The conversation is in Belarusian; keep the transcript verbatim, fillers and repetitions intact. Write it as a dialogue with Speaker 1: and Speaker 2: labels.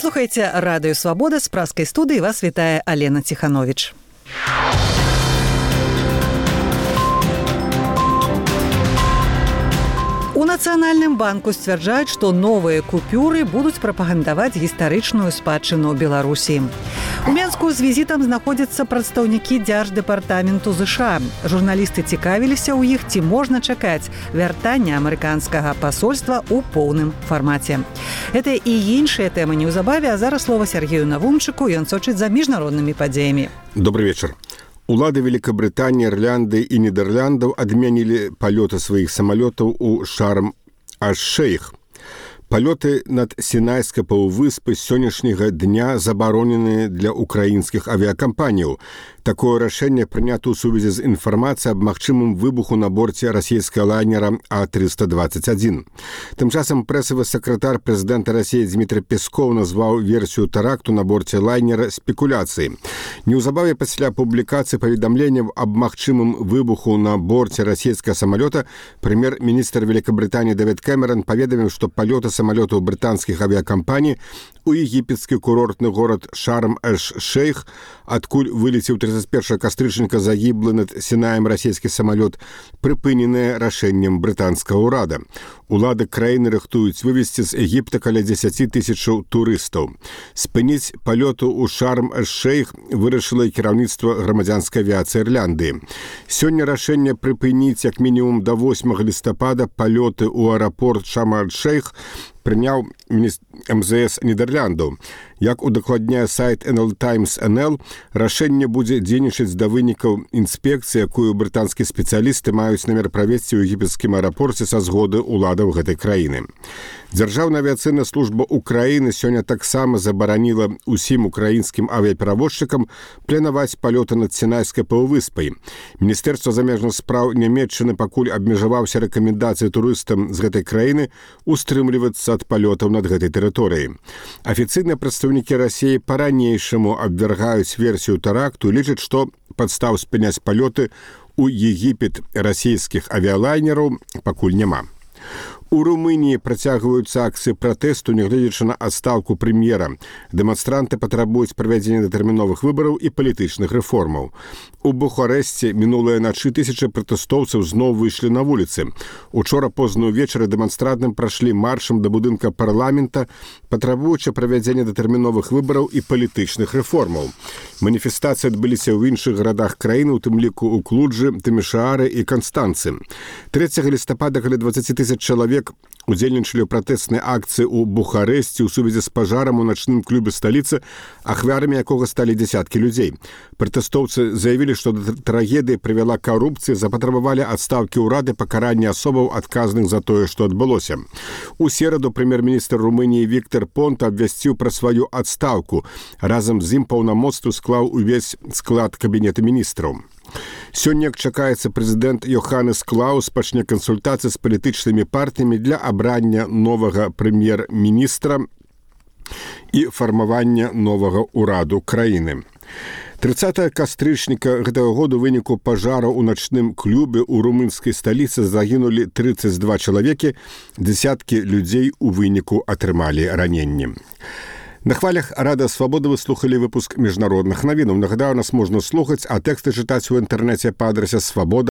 Speaker 1: слухаеце радыё Свабода, з праскай студыі вас вітае Алена Ціхановіч. У Нацыянальным банку сцвярджаюць, што новыя купюры будуць прапагандаваць гістарычную спадчыну Беларусі. У Менску з візітам знаходзяцца прадстаўнікі Дзярждэпартаменту ЗША. Журналісты цікавіліся ў іх, ці можна чакаць вяртання амерыканскага пасольства ў поўным фармаце. Гэта і іншыя тэмы неўзабаве, а зараз слова Сергею Навумчыку, ён сочыць за міжнароднымі падзеямі.
Speaker 2: Добрый вечер. Улады Великобритании, Ирландии и Нидерландов отменили полеты своих самолетов у Шарм-аш-Шейх. Полеты над Сінайскай паўвыспай з сённяшняга дня забаронены для украінскіх авіякампаніяў. Такое рашэнне прынята ў сувязі з інфармацыяй аб магчымым выбуху на борце расійскага лайнера А триста двадцать один. Тым часам прэсавы сакратар прэзідэнта Расіі Дмітрий Песков назваў версію тэракту на борце лайнера спекуляцыяй. Неўзабаве пасля публікацыі паведамленняў аб магчымым выбуху на борце расійскага самалёта прэм'ер-міністр Великобритании Дэвід Кэмерон паведаміў, што палёты самолетов британских авиакомпаний у египетский курортный город Шарм-аш-Шейх, откуль вылетел тридцать первого кастрычніка загиблый над Сінаем российский самолет, прыпыненное рашэннем британского урада. Улады краіны рыхтуюць вывезти з Египта каля дзесяці тысячаў турыстаў. Спыніць палёту ў Шарм-аш-Шейх вырашыла і кіраўніцтва грамадзянскай авіяцыі Ірландыі. Сёння рашэнне прыпыніць як мінімум да восьмага лістапада палёты ў аэрапорт Шарм-аш-Шейх прыняў эм зэ эс Нідерландаў. Як удакладняе сайт эн эл Таймс эн эл, рашэнне будзе дзейнічаць да вынікаў інспекцыі, якую брытанскія спецыялісты маюць намер правесці ў егіпецкім аэрапорце са згоды ўладаў гэтай краіны. Дзяржаўная авіяцыйная служба Украіны сёння таксама забараніла ўсім украінскім авіаперавозчыкам планаваць палёты над Сінайскай паўвыспай. Міністэрства замежных спраў Нямецчыны пакуль абмежаваўся рэкамендацыяй турыстам з гэтай краіны устрымлівацца ад палётаў над гэтай тэрыторыяй. Афіцыйныя прадстаўнікі Расіі па-ранейшаму абвяргаюць версію тэракту і лічаць, што падстаў спыняць палёты ў Егіпет расійскіх авіялайнераў пакуль няма. У Румыніі працягваюцца акцыі пратэсту, нягледзячы на адстаўку прэм'ера. Дэманстранты патрабуюць правядзення датэрміновых выбараў і палітычных рэформаў. У Бухарэсце мінулыя начы тысячы пратэстоўцаў зноў выйшлі на вуліцы. Учора позна ўвечары дэманстранты прашлі маршам да будынка парламента, патрабуючы правядзення датэрміновых выбараў і палітычных рэформаў. Маніфестацыі адбыліся ў іншых гарадах краіны, у тым ліку ў Клуджы, Тымішаары і Канстанцы. трэцяга лістапада каля дваццаць тысяч чалавек удзельнічалі ў пратэснай акцыі ў Бухарэсце ў сувязі з пажарам у начным клубе сталіцы, ахвярамі якога сталі дзясяткі людзей. Пратэстоўцы заявілі, што да трагедыі прывяла карупцыя, запатрабавалі адстаўкі ўрады, пакарання асобаў адказных за тое, што адбылося. У сераду прэм'ер-міністр Румыніі Віктор Понта абвясціў пра сваю адстаўку. Разам з ім паўнамоцтвы склаў увесь склад кабінета міністраў. Сёння, як чакаецца, прэзідэнт Йоханнес Клаус пачне кансультацыі з палітычнымі партыямі для абрання новага прэм'ер-міністра і фармавання новага ўраду краіны. трыццатага кастрычніка гэтага году ў выніку пажара ў начным клубе ў румынскай сталіцы загінулі трыццаць два чалавекі, дзесяткі людзей у выніку атрымалі раненні. На хвалях Радыё Свабода вы слухали выпуск міжнародных навінаў. Нагадаю, нас можна слухаць, а тэксты чытаць у інтэрнэце па адрасе свабода